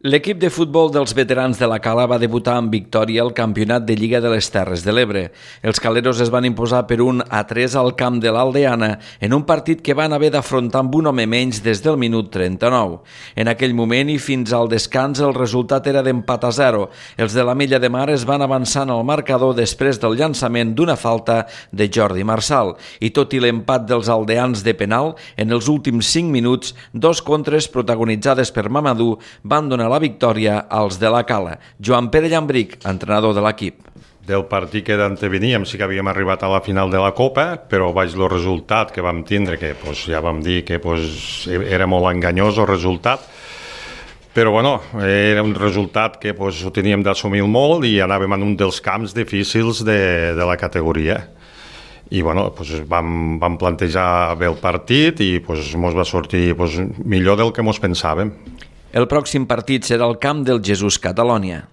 L'equip de futbol dels veterans de la Cala va debutar amb victòria al Campionat de Lliga de les Terres de l'Ebre. Els caleros es van imposar per 1-3 al camp de l'Aldeana en un partit que van haver d'afrontar amb un home menys des del minut 39. En aquell moment i fins al descans el resultat era d'empat a 0. Els de la Mella de Mar es van avançar en el marcador després del llançament d'una falta de Jordi Marçal. I tot i l'empat dels aldeans de penal, en els últims 5 minuts, dos contres protagonitzades per Mamadou van donar la victòria als de la Cala. Joan Pere Llambric, entrenador de l'equip. Del partit que d'anteveníem sí que havíem arribat a la final de la Copa, però baix el resultat que vam tindre, que ja vam dir que era molt enganyós el resultat, però bueno, era un resultat que ho teníem d'assumir molt i anàvem en un dels camps difícils de la categoria. I bueno, vam plantejar bé el partit i ens va sortir millor del que ens pensàvem. El pròxim partit serà al camp del Jesús Catalònia.